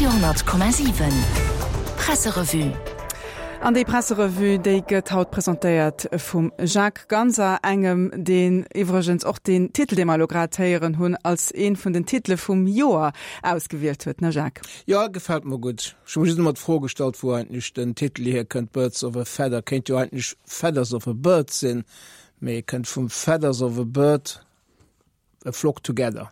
Radio,7 Presserevue. An déi Presserevue, déi gëtt haut presentéiert vum Jacques Ganser, engem, deen iwwregens och deen Titel, dee mer elo grad héieren hunn, als ee vun den Titele vum Joer ausgewielt huet, ne Jacques? Jo, gefält mer gutt. Ech hu mer just ëmmer d'Fro gestallt, wou eigentlech den Titel hierkënnt, Birds of a Feather kéint jo eigentlech Feathers of a Bird sinn, mee e kënnt vum Feathers of a Bird. A flock together.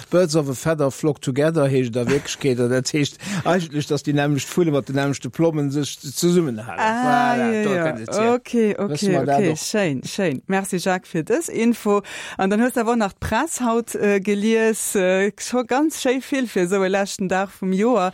Birds of a feather flock together heescht et a Wierklechkeet. An dat heescht eigentlech, datt déi nämmlecht Vulle mat den nämmlechte Plommen sech zesummenhalen. Ah, Voilà, jo, do jo. kënnt et hier. Okay, Wësse okay, mer dat okay. och. Schéin, schéin. Merci Jacques fir dës Info. An dann hues de awer och nach d'Press haut gelies. Scho ganz schéi vill fir esou e leschten Dag vum Joer.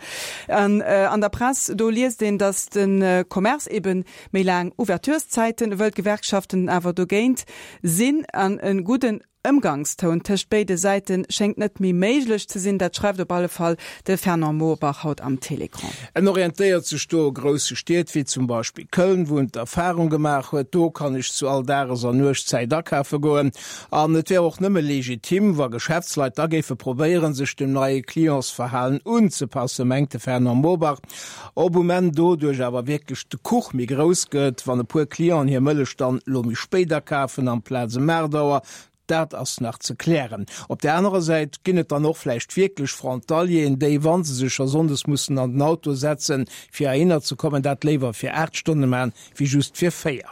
An an der Press, do liest een, datt de Commerce eben méi laang Ouvertureszäiten wëll, d'Gewerkschaften awer dogéint sinn an e gudden Ëmgangstoun tëscht béide Säite schéngt net méi méiglech ze sinn. Dat schreift op alle Fall de Fernand Morbach haut am Télécran. En orientéiert sech do u grousse Stied wéi zum Beispill Köln, wou en d'Erfarung gemaach huet, do kann ech zu all Dages an Nuechtszäit akafe goen. An et wär och nëmme legitim, wa Geschäftsleit da géife probéieren, sech dem neie Clientsverhalen unzepassen, mengt de Fernand Morbach. Ob um Enn doduerch awer wierklech de Kuch méi grouss gëtt, wann e puer Clienten hir Mëllech dann elo méi spéit akafen amplaz ëm 8 Auer, dat ass nach ze klären. Op där anerer Säit ginn et dann och vläicht wierklech Frontalieren, déi, wa se sech scho sonndes mussen an den Auto setzen, fir heihinner ze kommen, dat léiwer fir 8 Stonne maachen, wéi just fir 4.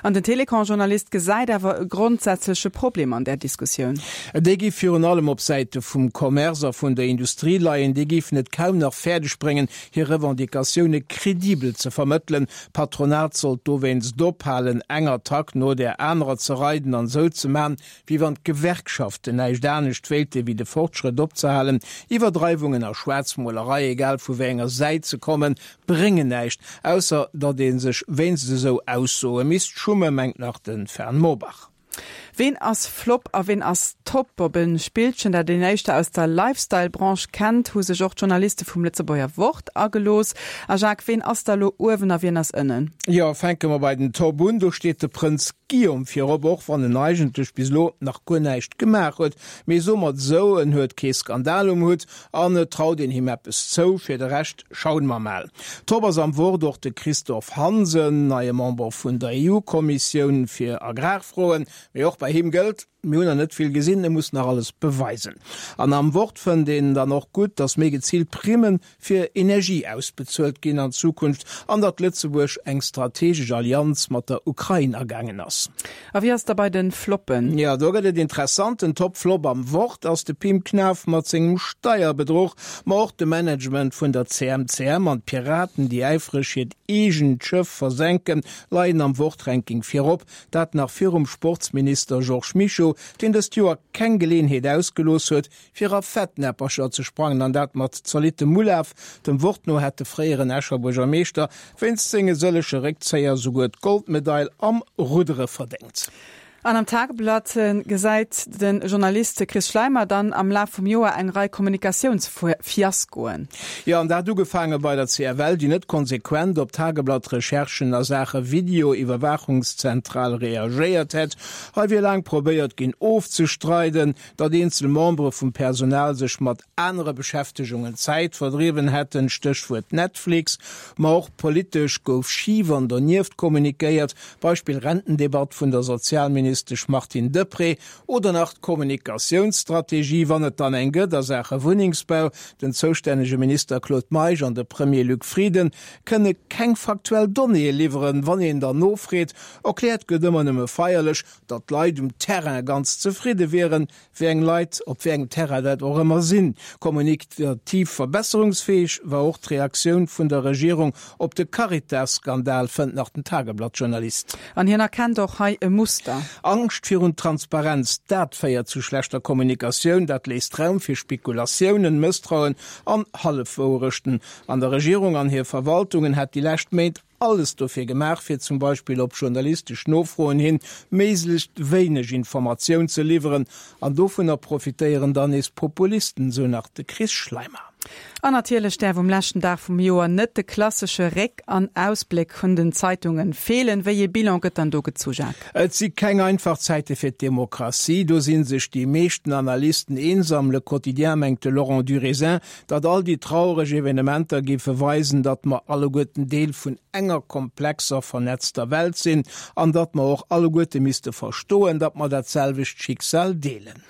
An den Télécon-Journalist gesäit awer e grondsätzleche Problem an där Diskussioun. Déi géif virun allem op Säite vum Commerce a vun der Industrie leien. Déi géifen et kaum nach fäerdeg bréngen, hir Revendicatioune credibel ze vermëttelen. D'Patronat sollt dowéinst ophalen, eng Attack no där anerer ze reiden an esou ze man, wéi wann d'Gewerkschaften näischt anescht wéilte wéi de Fortschrëtt opzehalen. Iwwerdreiwungen a Schwaarzmolerei, egal vu wéi enger Säit se kommen, bréngen näischt, ausser datt ee sech wéinst esou Aussoe misst schummen, mengt nach de Fern Morbach. Ween ass Flop a ween ass Top? Op e Spillchen, dat een éischter aus der Lifestyle-Branche kennt, hu sech och d'Journaliste vum Lëtzebuerger Wort agelooss. A Jacques, ween ass da lo uewen a wien ass ënnen? Jo, fänke mer bei den Top un. Do steet de Prënz Guillaume virop, och wann en eigentlech bis elo nach guer näischt gemaach huet. Mee soe mer et esou, en huet kee Skandal um Hutt an et traut een him eppes zou. Fir de Rescht schauen mer mal. Top ass am Wort och de Christophe Hansen, neie Member vun der EU-Kommissioun fir Agrarfroen. Mee och bei him gëllt, Mir hunn nach net vill gesinn, e muss nach alles beweisen. An am Wort fënnt een dann och gutt, datt méi geziilt Primme fir Energie ausbezuelt ginn an Zukunft an datt Lëtzebuerg eng strategesch Allianz mat der Ukrain agaangen ass. A wéi ass da bei de Floppen? Jo, do gëtt et interessant. Den Top-Flop am Wort ass de Pim Knaff mat sengem Steierbedruch, ma och de Management vun der CMCM an d'Piraten, déi äifreg hiert eegent Schëff versenken, leien am Wort-Ranking virop. Dat nach virum Sportsminister Georges Mischo, deen dëst Joer keng Geleeënheet ausgelooss huet, fir a Fettnäppercher ze sprangen, an dat mat zolittem Ulaf. Dem Wort no hätt de fréieren Escher Buergermeeschter wéinst senge sëllege Réckzéier souguer d'Goldmedail am Ruddere verdéngt. An am Tageblatt gesäit de Journalist Chris Schleimer dann am Laf vum Joer eng Rei Kommunikatiounsfiaskoen. Jo, an dat ugefaange bei der CFL, déi net konsequent op Tageblatt-Recherchen a Saache Video-Iwwerwaachungszentral reagéiert hätt. Hei wier laang probéiert ginn ofzestreiden, datt eenzel Membere vum Personal sech mat anere Beschäftegungen d'Zäit verdriwwen hätten, Stéchwuert Netflix. Ma och politesch gouf schif an donieft kommunikéiert, Beispill Rentendebatt vun der Sozialministesch Martine Deprez oder nach d'Kommunikatiounsstrategie, wann et dann eng gëtt, a Saache Wunnengsbau. Den zoustännege Minister Claude Meisch an de Premier Luc Frieden kënne keng faktuell Donnéeë liwweren, wann een dann nofreet. Erkläert gëtt ëmmer nëmme feierlech, Datt d'Leit um Terrain ganz zefridde wieren, wéi eng Leit op wéi engem Terrain dat och ëmmer sinn. Kommunikativ verbesserungsfäeg war och d'Reaktioun vun der Regierung op de Caritas-Skandal, fënnt nach den Tageblatt-Journalist. An hien erkennt och hei e Muster. Angscht virun Transparenz, dat féiert zu schlechter Kommunikatioun, dat léisst Raum fir Spekulatiounen, Mësstrauen an Hallefwouerechten. An der Regierung an hir Verwaltungen hätt déi lescht Méint alles dofir gemaach, fir zum Beispill op journalistesch Nofroen hin méiglechst wéineg Informatioun ze liwweren, an dovunner profitéieren dann nees Populisten, sou nach de Chris Schleimer. An natierlech däerf um leschten Dag vum Joer net de klassesche Réck an Ausbléck vun den Zeitungen feelen. Wéi ee Bilan gëtt dann do gezu, Jacques? Et si keng einfach Zäite fir d'Demokratie, do si sech déi meeschten Analysten eens. Am Le Quotidien mengt de Laurent Durézin, datt all déi traureg Evenementer géife weisen, datt mer alleguerten Deel vun enger komplexer, vernetzter Welt sinn an datt mer och alleguerte misste verstoen, datt mer dat selwecht Schicksal deelen.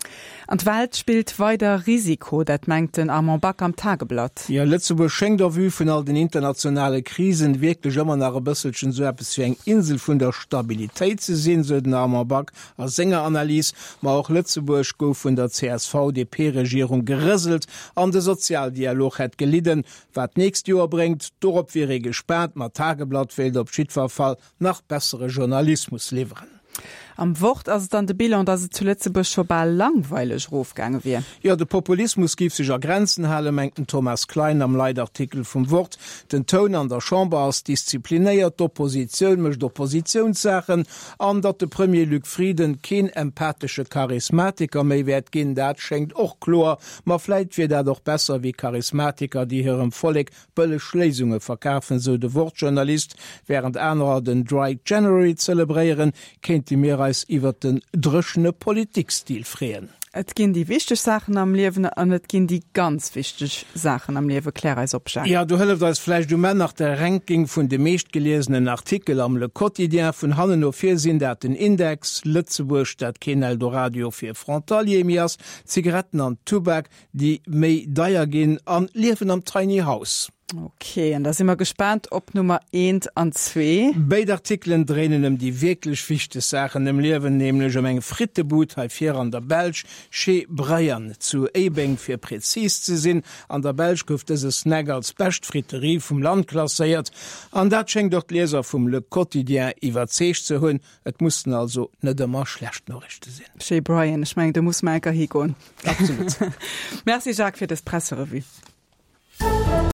An d'Welt spillt weider Risiko, dat mengt den Armand Back am Tageblatt. Jo, Lëtzebuerg schéngt au vu vun all den internationale Krisen wierklech ëmmer nach e bësselchen esou eppes wéi eng Insel vun der Stabilitéit ze sinn, sou den Armand Back a senger Analys. Ma och Lëtzebuerg gouf vun der CSV-DP-Regierung gerëselt an de Sozialdialog hätt gelidden. Wat d'nächst Joer bréngt, dorop wier ee gespaant, ma d'Tageblatt wéilt op jiddwer Fall nach bessere Journalismus liwweren. Am Wort ass et dann de Bilan, datt et zu Lëtzebuerg scho bal langweileg erofgaange wier. Jo, de Populismus géif sech a Grenzen halen, mengt den Thomas Klein am Leitartikel vum Wort. Den Toun an der Chamber ass disziplinéiert, d'Oppositioun mécht Oppositiounssaachen. An datt de Premier Luc Frieden keen empathesche Charismatiker méi wäert ginn, dat schéngt och kloer. Ma vläit wier dat och besser wéi Charismatiker, déi hirem Vollek Bëlleg Léisunge verkafen, sou de Wort-Journalist. Wärend anerer den Dry January zelebréieren, kéinte mir eis iwwert den dréchene Politikstil freeën. Et ginn déi wichteg Saachen am Liewen an et ginn déi ganz wichteg Saachen am Liewen. Klär eis op, Jacques. Jo, do hëlleft eis vläicht um Enn nach de Ranking vun de meeschtgeliesenen Artikel am Le Quotidien. Vun hannen no vir sinn dat den Index, Lëtzebuerg, dat keen Eldoradio fir Frontalier méi ass, Zigaretten an Tubak, déi méi deier ginn an Liewen am Tiny House. Ok, an da si mer gespaant op Nummer eent an zwee. Béid Artikelen dréinen ëm déi wierklech wichteg Saachen am Liewen, nämlech ëm eng Frittebud hei vir an der Belsch, Chez Brian zu Éibeng fir präzis ze sinn. An der Belsch gouf dëse Snack als bescht Friterie vum Land klasséiert an dat schéngt och d'Lieser vum Le Quotidien iwwerzeegt ze hunn. Et mussen also net ëmmer schlecht Noriichte sinn. Chez Brian, ech mengen do musse mer enker higoen. Absolut. Merci Jacques fir dës Presserevue.